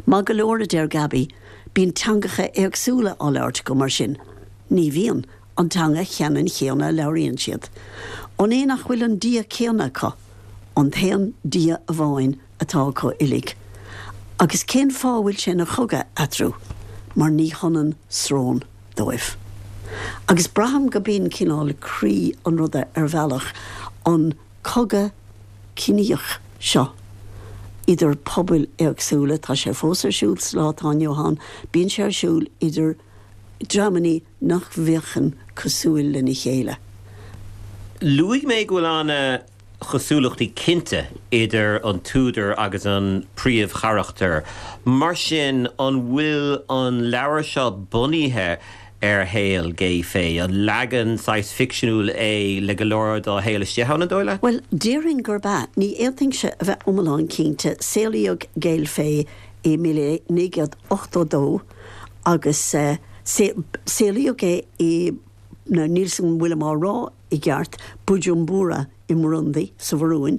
Maith go leor, a deir Gaby, bíonn teangacha éagsúla á labhairt acu mar sin. Ní bhíonn, an teanga cheannann chéanna a labhraíonn siad. An é nach bhfuil an Dia céanna acu? An t-aon Dia amháin atá acu uilig. Agus cén fáth a bhfuil sé ina chogadh eatarthu? Mar ní hionann srón dóibh. Agus braithim go b'in cineál croí an ruda ar bhealach, an cogadh ciníoch seo idir pobail éagsúla, tá sé fós ar siúl sa lá atá inniu ann, bíonn sé ar siúl idir dreamannaí nach bhféachann cosúil lena chéile. Luaigh mé go bhfuil an-chosúlachtaí cinnte idir an t-údar agus an príomhcharachtar. Mar sin, an bhfuil an leabhar seo bunaithe ar shaol Gaël Faye? An leagan saghas ficseanúil é le go leor dá shaol istigh ann, an dóigh leat? Bhuel, déarfainn gurb ea. Ní fhéadfainnse a bheith iomlán cinnte. Saolaíodh Gaël Faye i 1982 agus saolaíodh é i, now níl 's agam an bhfuilim á rá i gceart, Bujumbura i mBurundi, sa Bhurúin,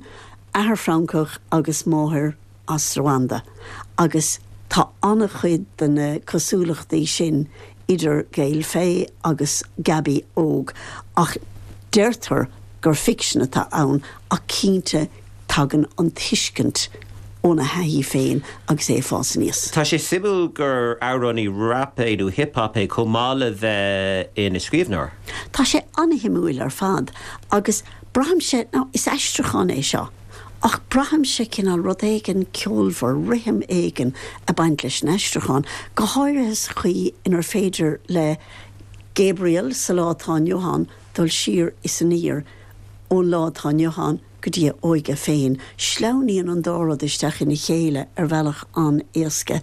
athair Francach agus máthair as Ruanda agus tá an-chuid de na cosúlachtaí sin idir Gaël Faye agus Gaby óg ach deirtear gur ficsean atá ann ach cinnte tagann an tuiscint óna thaithí féin agus é ag fás aníos. Tá sé suimiúil gur amhránaí rap é nó hip hop é chomh maith le bheith ina scríbhneoir. Tá sé an-shuimiúil ar fad agus braithimse, now is aistriúchán é seo. Ach braithimse cineál rud éigin ceolmhar, rithim éigin ag baint leis an aistriúchán, go háirithe sa chaoi inar féidir le Gabriel sa lá atá inniu ann dul siar is aniar ón lá atá inniu ann go dtí a óige féin. Sleamhnaíonn an dá rud isteach ina chéile ar bhealach an-éasca.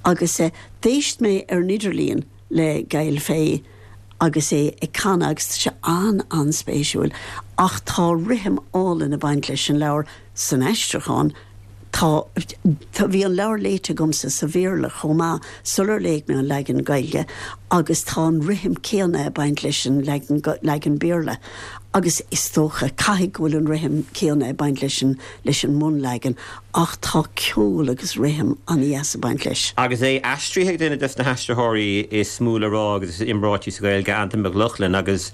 Agus d'éist mé ar an idirlíon le Gaël Faye agus é ag canadh agus tá sé an-an-spéisiúil. Ach tá rithim álainn ag baint leis an leabhar san aistriúchán. Tá, tá, bhí an leabhar léite agamsa sa Bhéarla chomh maith sular léigh mé an leagan Gaeilge agus tá an rithim céanna ag baint leis an leagan, leagan Béarla agus is dócha, caithfidh go bhfuil an rithim céanna ag baint leis an, leis an mbunleagan ach tá ceol agus rithim an-dheas ag baint leis. Agus é aistrithe ag duine des na haistritheoirí is mó le rá agus is iomráití sa Ghaeilge, Antain Mac Lochlainn agus,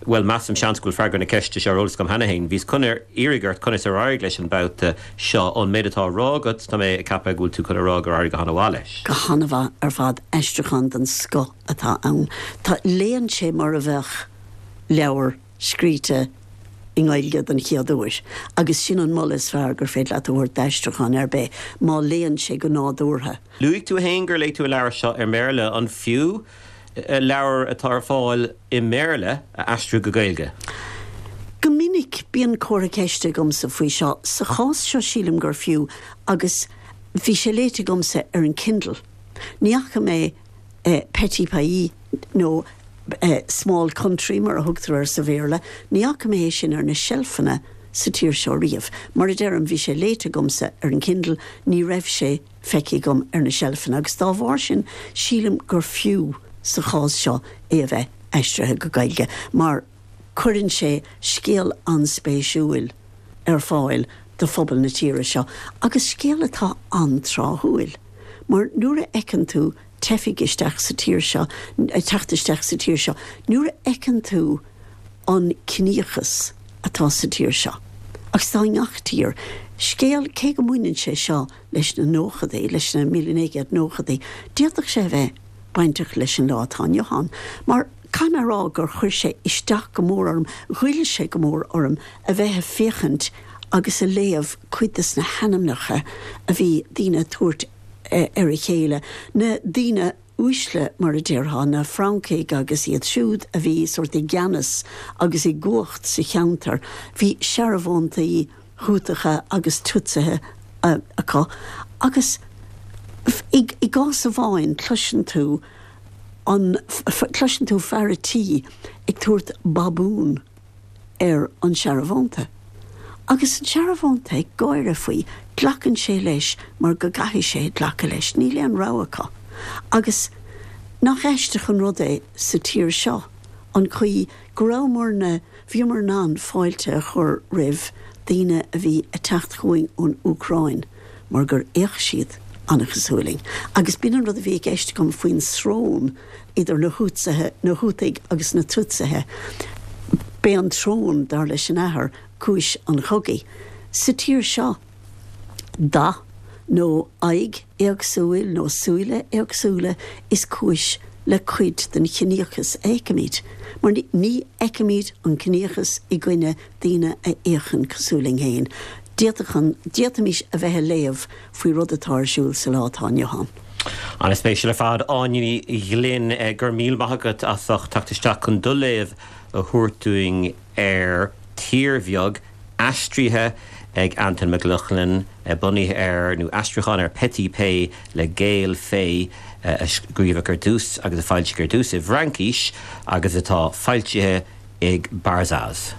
Bhuel, measaim, seans go bhfuil freagra na ceiste seo ar eolas agam cheana féin. Bhíos chun iarraidh ort conas ar éirigh leis an mbabhta seo. Ón méid atá á rá agat, tá mé ag ceapadh go bhfuil tú chun a rá gur éirigh go han-mhaith leis. Go han-mhaith ar fad. Aistriúchán den scoth atá ann. Tá, léann sé mar a bheadh leabhar scríte i nGaeilge den chéad uair. Agus sin an moladh is fearr gur féidir leat a thabhairt d'aistriúchán ar bith, má léann sé go nádúrtha. Luaigh tú féin gur léigh tú an leabhar seo i mBéarla. An fiú leabhar atá ar fáil i mBéarla a aistriú go Gaeilge? Go minic bíonn comhartha ceiste agamsa faoi seo. Sa chás seo sílim gur fiú agus bhí sé léite agamsa ar an Kindle. Ní fhaca mé Petit Pays nó Small Country mar a thugtar air sa Bhéarla, ní fhaca mé é sin ar na seilfeanna sa tír seo riamh. Mar a deirim, bhí sé léite agamsa ar an Kindle, ní raibh sé feicthe agam ar na seilfeanna agus dá bharr sin sílim gur fiú sa chás seo é a bheith aistrithe go Gaeilge mar cuireann sé scéal an-spéisiúil ar fáil do phobal na tíre seo agus scéal atá an-tráthúil mar nuair a fheiceann tú teifigh isteach sa tír seo, ag teacht isteach sa tír seo, nuair a fheiceann tú an ciníochas atá sa tír seo agus atá i ngach tír, scéal, cé go mbaineann sé seo leis na nóchadaí, leis na 1990idí, d'fhéadfadh sé a bheith bainteach leis an lá atá inniu ann. Mar caithfidh mé a rá gur chuir sé isteach go mór orm, ghoill sé go mór orm a bheith ag féachaint agus a léamh cuid des na hainmneacha a bhí daoine ag tabhairt ar a chéile, na daoine uaisle mar a déarfá, na Francaigh agus iad siúd a bhí sórt i gceannas agus i gcumhacht sa cheantar. Bhí searbhóntaí Hútacha agus Tutsithe acu agus i gcás amháin cloiseann tú an, cloiseann tú fear a' tí ag tabhairt babún ar an searbhónta. Agus an searbhónta ag gáire faoi, glacann sé leis mar go gcaithfidh sé glacadh leis, níl aon rogha acu. Agus nach aisteach an rud é sa tír seo an chaoi go rabhamarna, bhíomar in ann fáilte a chur roimh daoine a bhí ag teacht chugainn ón Úcráin mar gur fhéach siad an-chosúil linn. Agus b'in an rud a bhí i gceist agam faoin srón idir na Hútsaithe, na Hútaigh agus na Tutsaithe. B'é an tsrón, dar leis an athair, cúis an chogaidh. Sa tír seo, dath nó aghaidh éagsúil nó súile éagsúla is cúis le cuid den chiníochas a fheicimid. Mar ní fheicimid an ciníochas i gcoinne daoine a fhéachann cosúil linn féin. D'fhéadfadh an, d'fhéadfaimis a bheith ag léamh faoi rud atá ar siúl sa lá atá inniu ann. An-spéisiúil ar fad. Áine Ní Ghlinn, go raibh míle maith agat as ucht teacht isteach chun do léamh a thabhairt dúinn ar Tír Bheag, aistrithe ag Antain Mac Lochlainn, bunaithe ar, nó aistriúchán ar Petit Pays le Gaël Faye a scríobhadh ar dtús agus a foilsíodh ar dtús i bhFraincis agus atá foilsithe ag Barzaz.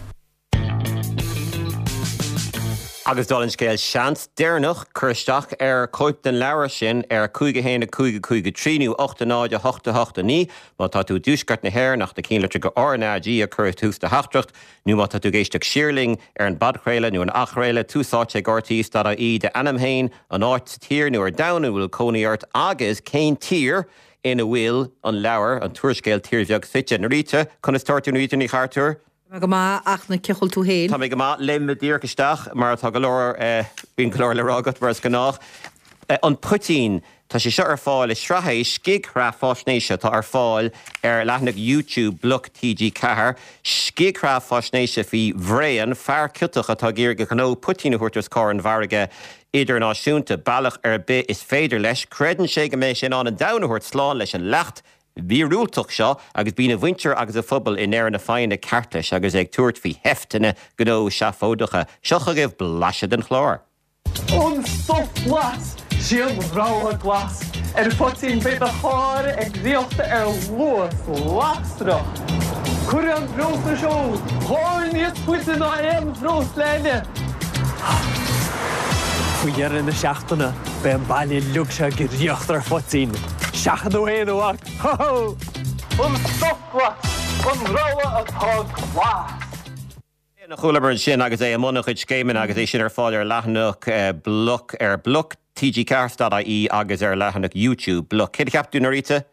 Agus dála an scéil, seans deireanach cur isteach ar chóip den leabhar sin ar 5 1 5 5 3 nó 8 0 8 8 9 má tá tú i dtuaisceart na hÉireann ach na cinnlitreacha RnaG a chur ag tús do theachtaireacht nó má tá tú ag éisteacht siar linn ar an bpodchraoladh nó an athchraoladh, Tús Áite ag RTÉ dot ie, d'ainm féin, an áit sa tír nó ar domhan ina bhfuil cónaí ort agus cén tír ina bhfuil an leabhar, an t-úrscéal Tír Bheag suite. Norita, conas tá tú Norita Ní Chartúir? Tá mé go maith, a Fhachtna, cén chaoi a bhfuil tú féin? Tá mé go maith. Léimfidh mé díreach isteach mar tá go leor, bíonn go leor le rá agat mar is gnách. An poitín. Tá sé seo ar fáil, is sraith é, scigsraith faisnéise atá ar fáil ar leathanach YouTube Bloc TG4. Scigsraith faisnéise faoi Bhraon, fear ciotach atá ag iarraidh a ghnó poitín a thabhairt os comhair an mhargaidh idirnáisiúnta, bealach ar bith is féidir leis. Creideann sé go mbeidh sé in ann an domhan a thabhairt slán leis an leacht mhíorúilteach seo agus bíonn a mhuintir agus a phobal i ndeireadh na foighne ceart leis agus é ag tabhairt faoi sheifteanna gnó seafóideacha. Seo chugaibh blaiseadh den chlár. An stuif glas, sí an rogha glas ar phoitín beidh do charr ag riocht ar luas lasrach. Cuirfidh an breosla seo thú níos faide ná aon bhreosla eile. Faoi dheireadh na seachtaine beidh an baile uilig seo ag riocht ar phoitín. Seachain tú fhéin a mhac! Ho ho! An stuif glas, an rogha atá glas! A chualamar ansin agus é i mbun a chuid scéimeanna agus é sin ar fáil ar leathanach Bloc ar bloc tg4.ie agus ar leathanach YouTube Bloc. Céard a cheap tú, Norita?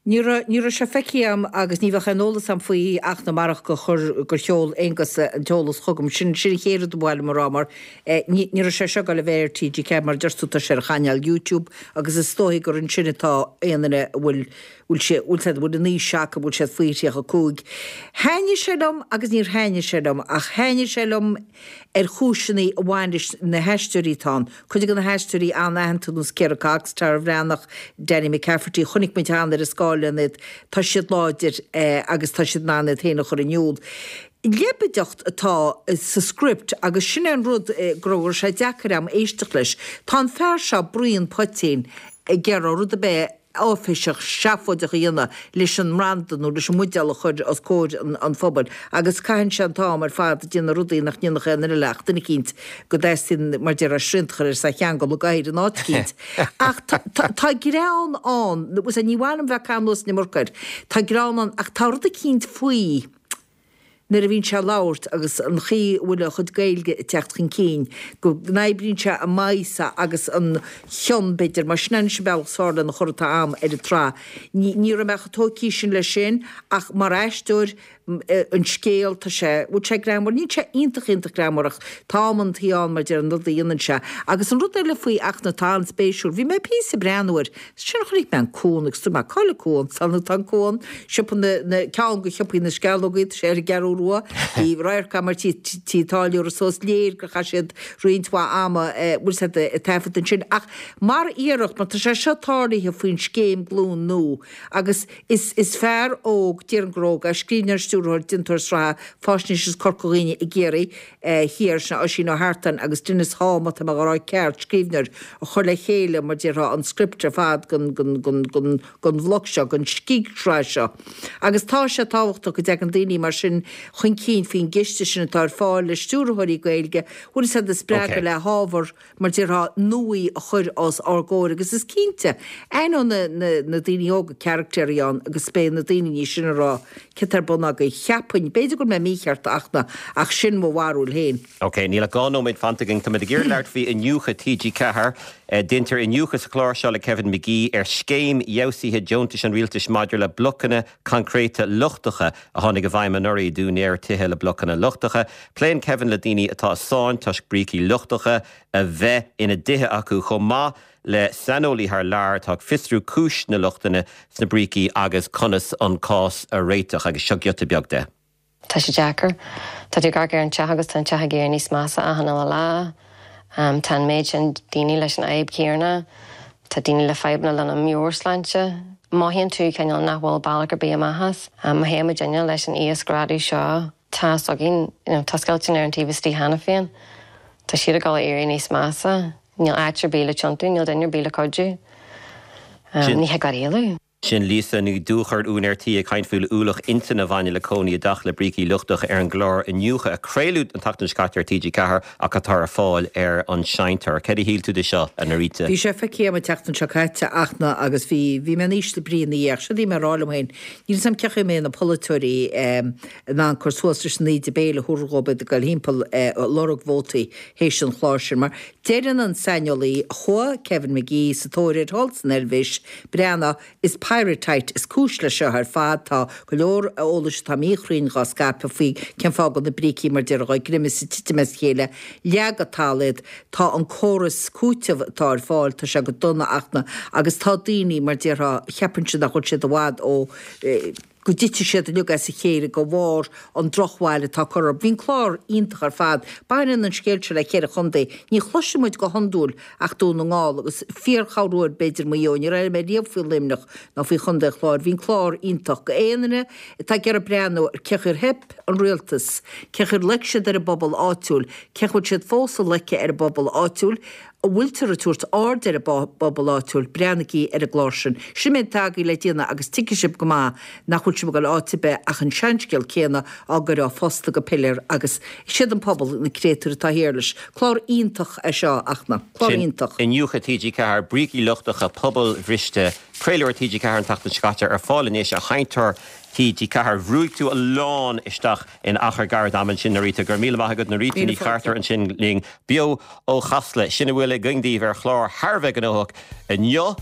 Ní raibh, ní raibh sé feicthe agam agus ní bheadh aon eolas agam faoi ach ná marach gur chuir, gur sheol Aonghus an t-eolas chugam. Sin, sin an chéad rud ba mhaith liom a rá mar eh ní, ní raibh sé seo ag dul a bheith ar TG4 mar a deir tú tá sé ar an chainéal YouTube agus is dóichí gur ansin atá aon duine a bhfuil, bhfuil sé, bhfuil siad, bhfuil an aois acu, bhfuil siad faoi 35. Thaitnigh sé liom agus níor thaitnigh sé liom ach thaitnigh sé liom ar chúiseanna a bhain leis na haisteoirí atá ann. Cuid de na haisteoirí an-aitheanta nós Ciara Cox, Tara Bhreathnach, Danny McCafferty, chonaic muid cheana ar an scáileán iad, tá siad láidir agus tá siad in ann iad féin a chur in iúl. Leibideacht atá sa script agus sin é an rud go raibh sé deacair a'm éisteacht leis. Tá an fear seo, Brian Poitín, ag iarraidh rud ar bith áiféiseach seafóideach a dhéanamh leis an mbranda nó leis an mbuidéal a chur os comhair an phobail agus caitheann sé an t-am ar fad ag déanamh rudaí nach ndéanfadh aon duine eile ach duine eicínt go dteastaíonn mar déarfá srianta a chur air is é a cheangal i gcathaoir in áit eicínt. Ach tá greann ann, ní mhaith liom bheith ag caitheamh anuas an iomarca air, tá greann ann ach tá rud eicínt faoi. nuair a bhíonn sé ag labhairt agus an chaoi a bhfuil a chuid Gaeilge ag teacht chun cinn, go n-oibríonn sé i m'aghaidhse agus an chion, b'fhéidir, mar sin anois an bealach is fearr lena chur atá a'm ar an tsraith. Ní, ní raibh mé chomh tógtha sin leis sin ach mar aisteoir, an scéal, tá sé, bhfuil sé greannmhar? Níl sé iontach, iontach greannmhar ach tá amantaí ann mar deir an rud a dhéanann sé. Agus an rud eile faoi Fhachtna atá an-spéisiúil, bhí mé píosa ag breathnú air, Ansin chonaic mé an cuan agus dúirt mé, Cá bhfuil an cuan? Tá nó tá an cuan, siopa na, na, ceann de shiopaí na sceallógaí, tá sé ar an gCeathrú Rua. Bhí radharc agam ar tí, tí an táilliúra so is léir gur chaith siad roinnt mhaith ama, bhfuil 's a'd, ag taifead ansin. Ach mar iarracht, mar tá sé seo tarlaithe faoin scéim Glúin Nua agus is, is fear óg, déarfainn gur óg é, scríbhneoir, stiúrthóir, déantóir sraithe faisnéise as Corca Dhuibhne i gCiarraí, Thiar, sin Oisín Ó hEartáin agus Denis Haugh, má tá mé á rá ceart, scríbhneoir, a chuir le chéile, mar déarfá, an script ar fad don, don, don, don, don bhloc seo, don scigsraith seo. Agus tá sé tábhachtach go dtagann daoine mar sin chun cinn faoin gciste sin atá ar fáil le stiúrthóirí Gaeilge, bhfuil 'fhios a'd, a spreagadh le hábhar, mar déarfá, nuaí a chur os ár gcomhair agus is cinnte, aithneoidh na, na, na daoine óga caractéirí ann agus beidh na daoine níos sine ag rá, céard tá ar bun agaibh? Cheapfainn, b'fhéidir go bhfuil mé mícheart a Fhachtna, ach sin mo bharúil féin. Ok, níl ach 2 nóiméad fanta againn. Táimid ag iarraidh labhairt faoi iniúchadh TG4. Deintear iniúchadh sa chlár seo le Kevin McGee ar scéim fheabhsaithe deontais an rialtais maidir le blocanna coincréite lochtacha a tháinig i bhfeidhm anuraidh d'úinéirí tithe le blocanna lochtacha. Pléann Kevin le daoine atá i sáinn toisc brící lochtacha a bheith ina dtithe acu, chomh maith le saineolaí thar lear atá ag fiosrú cúis na lochtanna sna brící agus conas an cás a réiteach. Agus seo giota beag de. Tá sé deacair. Tá tú ag amharc ar an teach agus tá an teach ag éirí níos measa achan uile lá. Tá an méid sin daoine leis an fhadhb chéanna. Tá daoine le fadhbanna lena meabhairshláinte. Mothaíonn tú cineál nach bhfuil bealach ar bith amach as. Má théann muidinne leis an íosghrádú seo, tá fhios againn, you know, tá scoilteanna ar an taobh istigh cheana féin. Tá siad ag dul a éirí níos measa. Níl áit ar bith le tiontú, níl duine ar bith le cuidiú. Ní thig leat éalú. Sin Lisa Ní Dhúchair, úinéir tí, ag caint faoin ualach intinne a bhaineann le cónaí i dteach le brící lochtacha ar an gclár Iniúchadh a craoladh an tseachtain seo caite ar TG4 ach atá ar fáil ar an seinnteoir. Céard a shíl tú de seo, a Norita? Bhí sé feicthe agam an tseachtain seo caite, a Fhachtna, agus bhí, bhí mé in ísle brí ina dhiaidh. Ach séard a bhí mé a rá liom féin, níl 'fhios a'm cén chaoi a mbeidh na polaiteoirí in ann cur suas leis an íde béil a thabharfar dhóibh ag dul thimpeall ag lorg vótaí théis an chláir sin. Mar deireann an saineolaí, chuaigh Kevin McGee sa tóir air thall san Eilvéis, Breathnaigh, is. Pyrrhotite is cúis leis seo ar fad. Tá go leor eolais atá míchruinn dhá scaipeadh faoi cén fáth go bhfuil na brící mar déarfá ag greim is ag titim as a chéile. Leagadh talamh iad. Tá an córas cúitimh atá ar fáil, tá sé go dona Fhachtna agus tá daoine mar déarfá, cheapann siad nach bhfuil siad i bhfad ó, go dtitfidh siad uilig as a chéile de bharr an drochbhail atá curtha orthu. Bhí an clár iontach ar fad. Baineann an scéal seo le ceithre chontae. Ní chloiseann muid go hiondúil ach Dún na nGall agus fíor-chorruair b'fhéidir Maigh Eo. Níor airigh mé riamh faoi Luimneach ná faoi Chontae an Chláir. Bhí an clár iontach. Go aon duine atá ag iarraidh breathnú ar cén chaoi ar theip an rialtas, cén chaoi ar loic siad ar an bpobal áitiúil, cén chaoi bhfuil siad fós ag loiceadh ar an bpobal áitiúil, An bhfuiltear ag tabhairt aird ar an bpobal áitiúil? Breathnaigí ar an gclár sin. Sin an méid atá agaibh le déanamh agus tuigfidh sibh go maith nach bhfuil sibh ag dul áit ar bith ach an seanscéal céanna á gcur ó phosta go piléar agus is iad an pobal na créatúir atá thiar leis. Clár iontach é seo, a Fhachtna. Clár Sin iontach. Iniúchadh TG4, Brící Lochtacha, Pobail Bhriste, craoladh ar TG4 an tseachtain seo caite, ar fáil anois ar sheinnteoir TG4. Bhrúigh tú a lán isteach in achar gairid ama ansin, a Rita. Go raibh míle maith agat, Norita Ní Chartúir ansin linn beo ó Chasla. Sin a bhfuil againn daoibh ar chlár thar a bheith gnóthach inniu.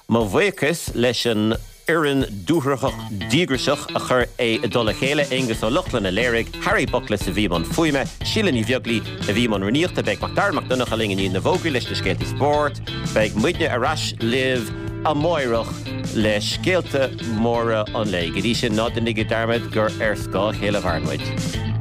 Mo bhuíochas leis an fhoireann dúthrachtach díograiseach a chuir é i dtoll a chéile, Aonghus Ó Lochlainn a léirigh, Harry Buckless a bhí i mbun fuaime, Síle Ní Bheaglaoi a bhí i mbun rúnaíochta. Beidh Macdara Mac Donncha linn i ndiaidh na bhfógraí leis na scéalta spóirt. Beidh muidne ar ais libh amáireach le scéalta móra an lae. Go dtí sin, ná déanaigí dearmad gur ar scáth a chéile a mhaireann muid.